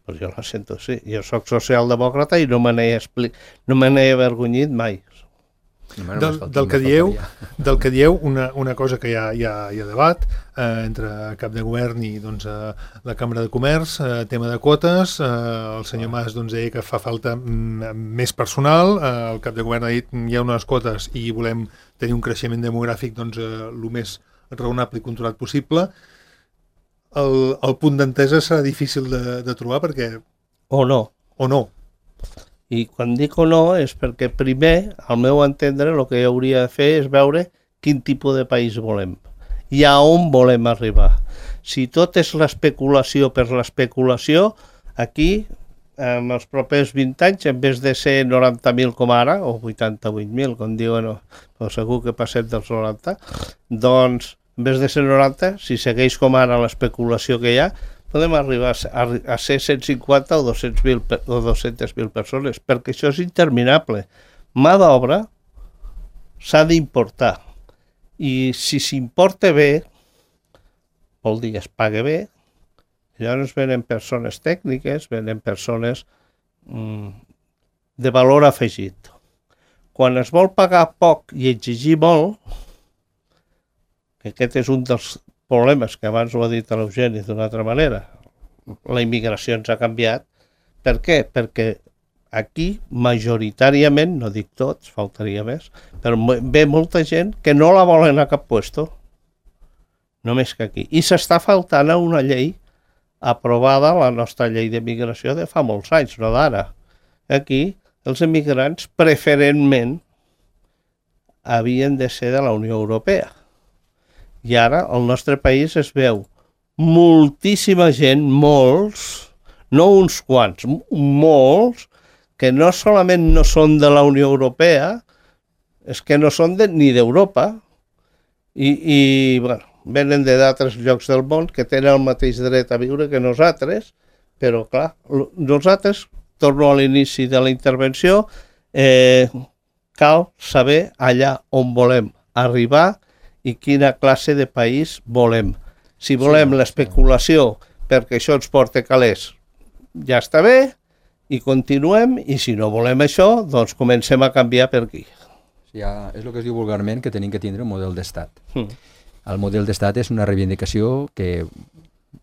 però jo la sento així. Jo soc socialdemòcrata i no me n'he avergonyit mai. Del que dieu, una cosa que hi ha debat entre cap de govern i doncs, la Cambra de Comerç, tema de quotes, el senyor Mas deia que fa falta més personal, el cap de govern ha dit hi ha unes quotes i volem tenir un creixement demogràfic el més raonable i controlat possible. El punt d'entesa serà difícil de trobar perquè... O no. I quan dic o no és perquè primer, al meu entendre, el que hauria de fer és veure quin tipus de país volem i a on volem arribar. Si tot és l'especulació per l'especulació, aquí en els propers 20 anys, en vez de ser 90.000 com ara, o 88.000, com diuen, però segur que passem dels 90, doncs, en vez de ser 90, si segueix com ara l'especulació que hi ha, podem arribar a ser 150 o 200.000 persones, perquè això és interminable. Mà d'obra s'ha d'importar, i si s'importa bé, vol dir es paga bé, llavors venen persones tècniques, venen persones de valor afegit. Quan es vol pagar poc i exigir molt, que aquest és un dels problemes que abans ho ha dit l'Eugeni d'una altra manera, la immigració ens ha canviat. Per què? Perquè aquí majoritàriament, no dic tots, faltaria més, però ve molta gent que no la volen a cap puesto, només que aquí. I s'està faltant a una llei aprovada, la nostra llei d'immigració de fa molts anys, no d'ara. Aquí els immigrants preferentment havien de ser de la Unió Europea. I ara al nostre país es veu moltíssima gent, molts, no uns quants, molts, que no solament no són de la Unió Europea, és que no són ni d'Europa, i bueno, venen d'altres llocs del món que tenen el mateix dret a viure que nosaltres, però clar, nosaltres, torno a l'inici de la intervenció, cal saber allà on volem arribar i quina classe de país volem. Si volem l'especulació perquè això ens porta calés, ja està bé, i continuem, i si no volem això, doncs comencem a canviar per aquí. Ja, és el que es diu vulgarment que tenim que tindre un model d'estat. El model d'estat és una reivindicació que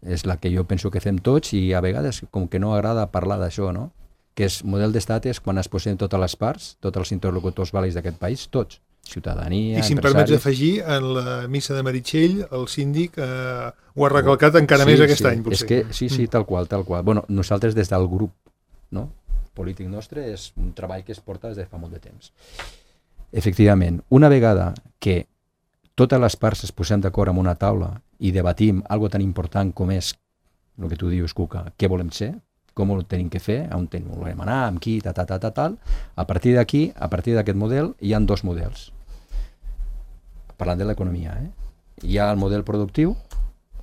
és la que jo penso que fem tots i a vegades com que no agrada parlar d'això, no? Que és model d'estat és quan es posen totes les parts, tots els interlocutors vàlids d'aquest país, tots, ciutadania, i si em permets afegir, en la missa de Meritxell, el síndic ho ha recalcat encara més aquest any, potser. És que, sí, tal qual. Bueno, nosaltres des del grup, no? Polític nostre és un treball que es porta des de fa molt de temps. Efectivament, una vegada que totes les parts es posem d'acord en una taula i debatim algo tan important com és el que tu dius, Cuca, què volem ser, com ho tenim que fer, on volem anar, amb qui, tal. A partir d'aquí, a partir d'aquest model, hi ha dos models. Parlant de l'economia, hi ha el model productiu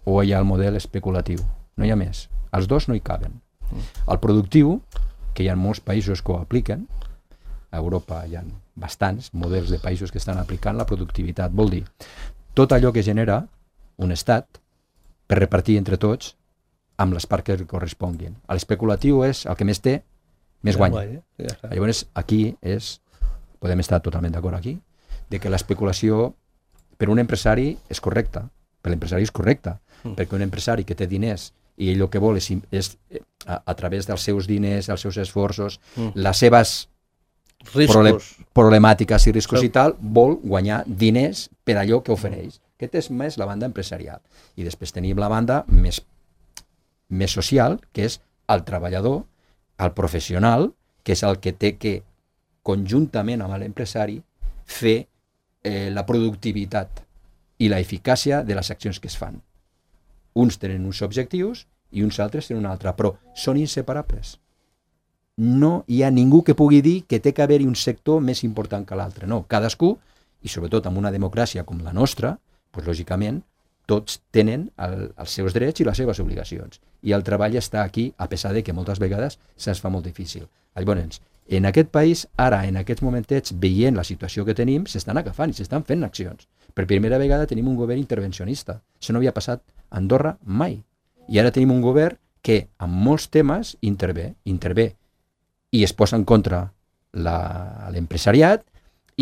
o hi ha el model especulatiu. No hi ha més. Els dos no hi caben. El productiu, que hi ha molts països que ho apliquen, a Europa hi ha bastants models de països que estan aplicant la productivitat. Vol dir, tot allò que genera un estat per repartir entre tots amb les parts que corresponguin. L'especulatiu és el que més té, més guanya. Llavors, aquí podem estar totalment d'acord aquí, de que l'especulació per un empresari és correcta, per l'empresari és correcta, perquè un empresari que té diners i ell el que vol és a través dels seus diners, els seus esforços, les seves problemàtiques i riscos i tal, vol guanyar diners per allò que ofereix. Aquest és més la banda empresarial. I després tenim la banda més social, que és el treballador, el professional, que és el que té que, conjuntament amb l'empresari, fer la productivitat i la eficàcia de les accions que es fan. Uns tenen uns objectius i uns altres tenen un altre, però són inseparables. No hi ha ningú que pugui dir que té que haver-hi un sector més important que l'altre. No, cadascú, i sobretot en una democràcia com la nostra, doncs, lògicament, tots tenen els seus drets i les seves obligacions. I el treball està aquí, a pesar de que moltes vegades se'ns fa molt difícil. Llavors, en aquest país, ara, en aquests momentets, veient la situació que tenim, s'estan agafant i s'estan fent accions. Per primera vegada tenim un govern intervencionista. Això no havia passat a Andorra mai. I ara tenim un govern que, en molts temes, intervé i es posa en contra l'empresariat,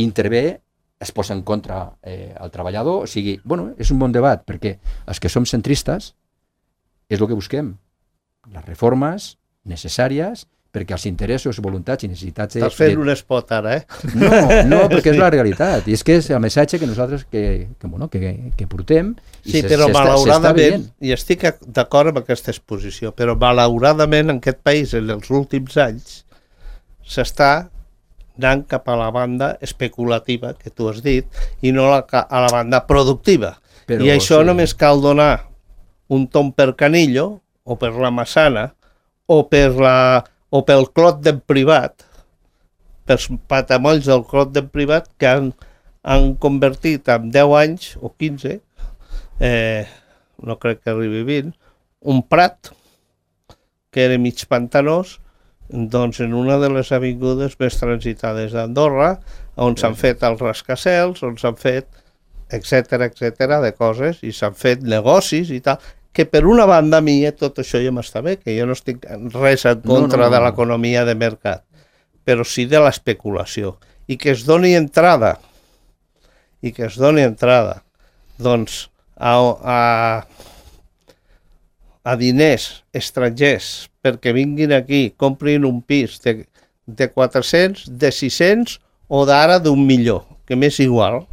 intervé, es posa en contra el treballador, o sigui, bueno, és un bon debat, perquè els que som centristes és el que busquem, les reformes necessàries perquè els interessos, voluntats i necessitats... Estàs fent un espot ara, No, perquè és la realitat, i és que és el missatge que nosaltres que portem i sí, però malauradament, i estic d'acord amb aquesta exposició, però malauradament en aquest país en els últims anys s'està anant cap a la banda especulativa, que tu has dit, i no a la banda productiva. Però, i això només cal donar un tom per Canillo, o per la Massana, o per o pel clot d'en privat, pels patamolls del clot d'en privat, que han convertit en 10 anys o 15, no crec que arribi 20, un prat que era mig pantanós, doncs en una de les avingudes més transitades d'Andorra, on s'han fet els rascacels, on s'han fet etcètera de coses, i s'han fet negocis i tal, que per una banda a mi tot això ja m'està bé, que jo no estic res en contra de l'economia de mercat, però sí de l'especulació, i que es doni entrada doncs a diners estrangers perquè vinguin aquí, comprin un pis de 400, de 600 o d'ara d'1.000.000, que m'és igual,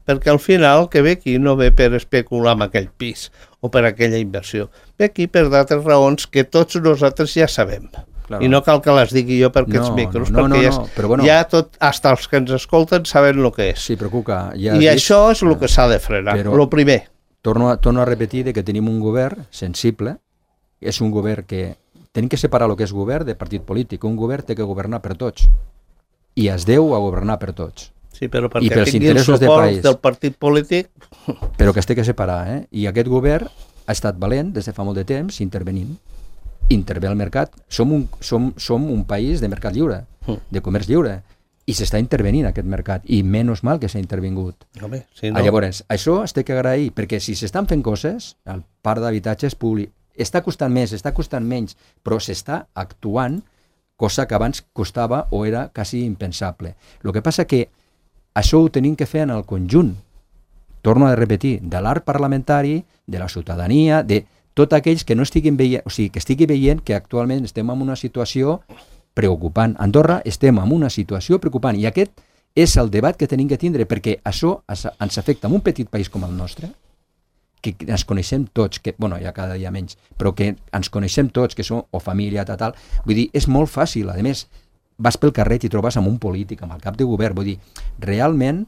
perquè al final que ve aquí no ve per especular amb aquell pis o per aquella inversió, ve aquí per d'altres raons que tots nosaltres ja sabem. Claro. I no cal que les digui jo per aquests micros, perquè ja tot, hasta els que ens escolten saben el que és. Sí, però Cuca, I això és el que s'ha de frenar, el primer. Torno a repetir que tenim un govern sensible, és un govern que tenim que separar el que és govern de partit polític. Un govern té que governar per tots i es deu a governar per tots. Sí, però perquè tingui el suport del partit polític... Però que es té que separar, I aquest govern ha estat valent des de fa molt de temps intervenint. Intervé al mercat. Som un país de mercat lliure, de comerç lliure, i s'està intervenint aquest mercat, i menys mal que s'ha intervingut. Home, sí, no. Llavors, això es té que agrair, perquè si s'estan fent coses, el parc d'habitatges públic està costant més, està costant menys, però s'està actuant, cosa que abans costava o era quasi impensable. El que passa que això ho tenim que fer en el conjunt, torno a repetir, de l'art parlamentari, de la ciutadania, de tots aquells que no estiguin veient, o sigui, que estigui veient que actualment estem en una situació preocupant. A Andorra estem en una situació preocupant i aquest és el debat que tenim que tindre, perquè això ens afecta en un petit país com el nostre, que ens coneixem tots, que, bueno, ja cada dia menys, però que ens coneixem tots, que som o família, tal. Vull dir, és molt fàcil. A més, vas pel carrer i t'hi trobes amb un polític, amb el cap de govern. Vull dir, realment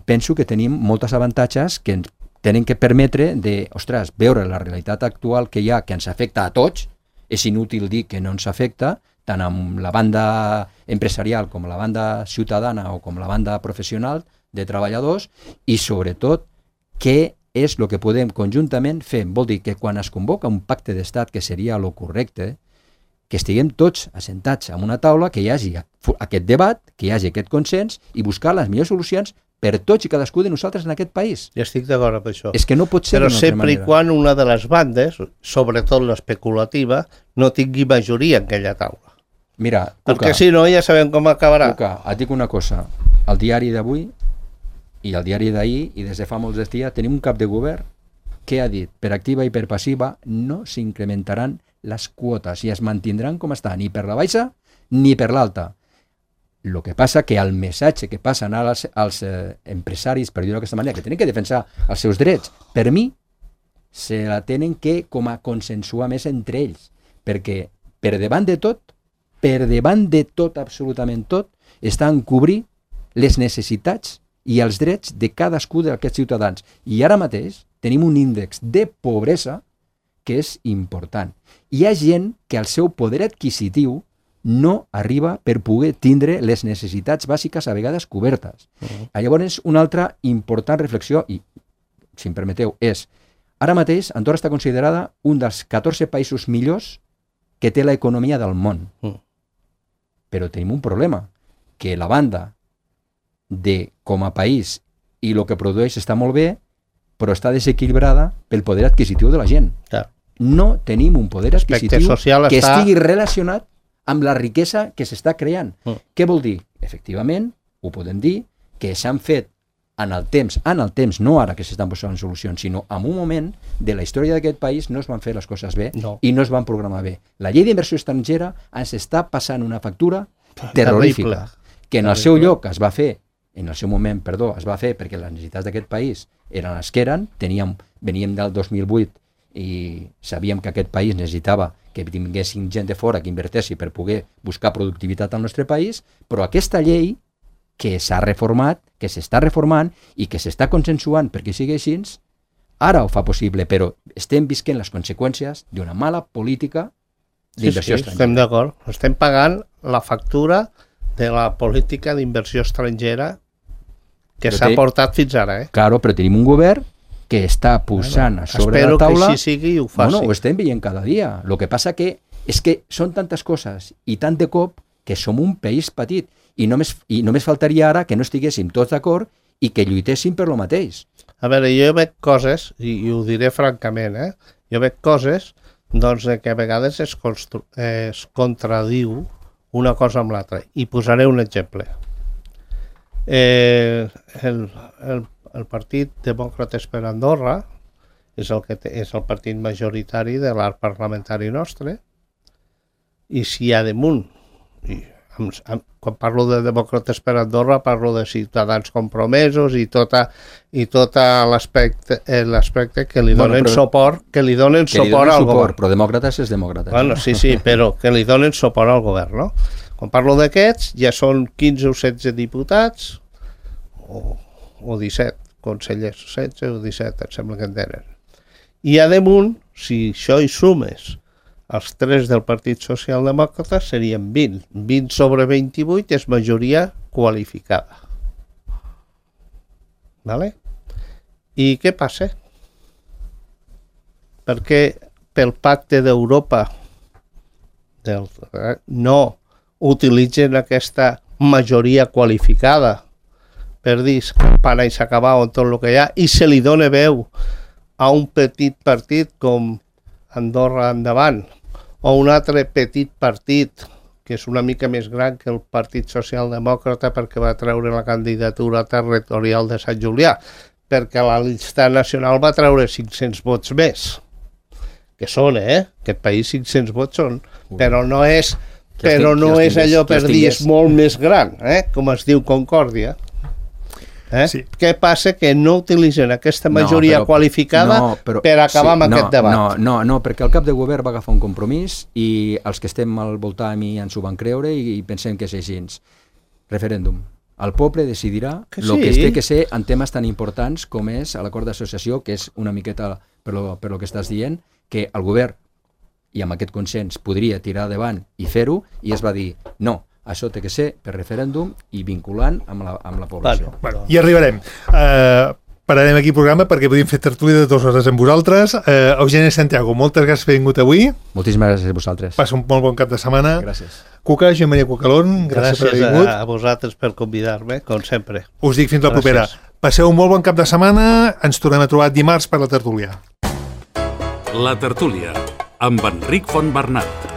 penso que tenim moltes avantatges que ens tenen que permetre de, ostres, veure la realitat actual que hi ha, que ens afecta a tots. És inútil dir que no ens afecta, tant amb la banda empresarial com la banda ciutadana o com la banda professional de treballadors, i sobretot què és el que podem conjuntament fer. Vol dir que quan es convoca un pacte d'estat, que seria el correcte, que estiguem tots assentats en una taula, que hi hagi aquest debat, que hi hagi aquest consens i buscar les millors solucions per tots i cadascú de nosaltres en aquest país. Ja estic d'acord amb això. És que no pot ser d'una altra manera. Però sempre i quan una de les bandes, sobretot l'especulativa, no tingui majoria en aquella taula. Mira, perquè si no ja sabem com acabarà. Cuca, et dic una cosa. El diari d'avui i el diari d'ahir, i des de fa molts dies, tenim un cap de govern que ha dit, per activa i per passiva, no s'incrementaran les quotes i es mantindran com estan, ni per la baixa ni per l'alta. El que passa que el missatge que passen als empresaris, per dir-ho d'aquesta manera, que tenen que defensar els seus drets, per mi, se la tenen que com a consensuar més entre ells, perquè per davant de tot, absolutament tot, està en cobrir les necessitats i els drets de cadascú d'aquests ciutadans. I ara mateix tenim un índex de pobresa que és important. Hi ha gent que el seu poder adquisitiu no arriba per poder tindre les necessitats bàsiques a vegades cobertes. Llavors, una altra important reflexió, i si em permeteu, és ara mateix Andorra està considerada un dels 14 països millors que té l'economia del món. Però tenim un problema, que la banda de com a país i el que produeix està molt bé, però està desequilibrada pel poder adquisitiu de la gent. Clar. No tenim un poder adquisitiu que estigui relacionat amb la riquesa que s'està creant. Què vol dir? Efectivament, ho podem dir, que s'han fet en el temps, no ara que s'estan posant solucions, sinó en un moment de la història d'aquest país no es van fer les coses bé i no es van programar bé. La llei d'inversió estrangera ens està passant una factura terrorífica, que en el seu lloc es va fer, en el seu moment, es va fer perquè les necessitats d'aquest país eren les que eren, veníem del 2008 i sabíem que aquest país necessitava que tinguessin gent de fora que invertessi per poder buscar productivitat al nostre país, però aquesta llei que s'ha reformat, que s'està reformant i que s'està consensuant perquè sigui així, ara ho fa possible, però estem visquent les conseqüències d'una mala política d'inversió estrangera. Estem d'acord. Estem pagant la factura de la política d'inversió estrangera que s'ha portat fins ara. Claro, però tenim un govern que està posant a sobre la taula... Espero que així sigui i ho faci. Ho estem veient cada dia. Lo que passa que és que són tantes coses i tant de cop que som un país petit i només faltaria ara que no estiguéssim tots d'acord i que lluitéssim per lo mateix. A veure, jo veig coses, i ho diré francament, jo veig coses doncs, que a vegades es contradiu una cosa amb l'altra. I posaré un exemple. El Partit Demòcrates per Andorra és el partit majoritari de l'arc parlamentari nostre, i si hi ha damunt, quan parlo de Demòcrates per Andorra parlo de Ciutadans Compromesos i tot l'aspecte que li donen suport al govern. Però Demòcrates és Demòcrates. Bueno, sí, però que li donen suport al govern, no? Quan parlo d'aquests, ja són 15 o 16 diputats o 17 consellers, 16 o 17, em sembla que en tenen. I a damunt, si això hi sumes els 3 del Partit Socialdemòcrata, serien 20. 20 sobre 28 és majoria qualificada. Vale? I què passa? Perquè pel pacte d'Europa no utilitzen aquesta majoria qualificada per dir campana i s'acaba on tot el que hi ha i se li dona veu a un petit partit com Andorra Endavant o un altre petit partit que és una mica més gran que el Partit Socialdemòcrata perquè va treure la candidatura territorial de Sant Julià, perquè la llista nacional va treure 500 vots més, que són, aquest país 500 vots són, però no és allò per dir és molt més gran, com es diu Concòrdia. Sí. Què passa? Que no utilitzen aquesta majoria qualificada per acabar amb aquest debat. No, perquè el cap de govern va agafar un compromís i els que estem al voltant i ens ho van creure i pensem que és així. Referèndum. El poble decidirà el que es té que ser en temes tan importants com és l'acord d'associació, que és una miqueta per lo que estàs dient, que el govern i amb aquest consens podria tirar endavant i fer-ho, i es va dir no, això té que ser per referèndum i vinculant amb la població. Bueno, hi arribarem. Pararem aquí el programa perquè podíem fer tertúlia de 2 hores amb vosaltres. Eugeni Santiago, moltes gràcies per haver vingut avui. Moltíssimes gràcies a vosaltres. Passa un molt bon cap de setmana. Gràcies. Cuca, Joan Maria Cucalón, gràcies per haver vingut. A vosaltres per convidar-me, com sempre. Us dic fins la propera. Passeu un molt bon cap de setmana. Ens tornem a trobar dimarts per la tertúlia. La tertúlia, amb Enric Fontbernat.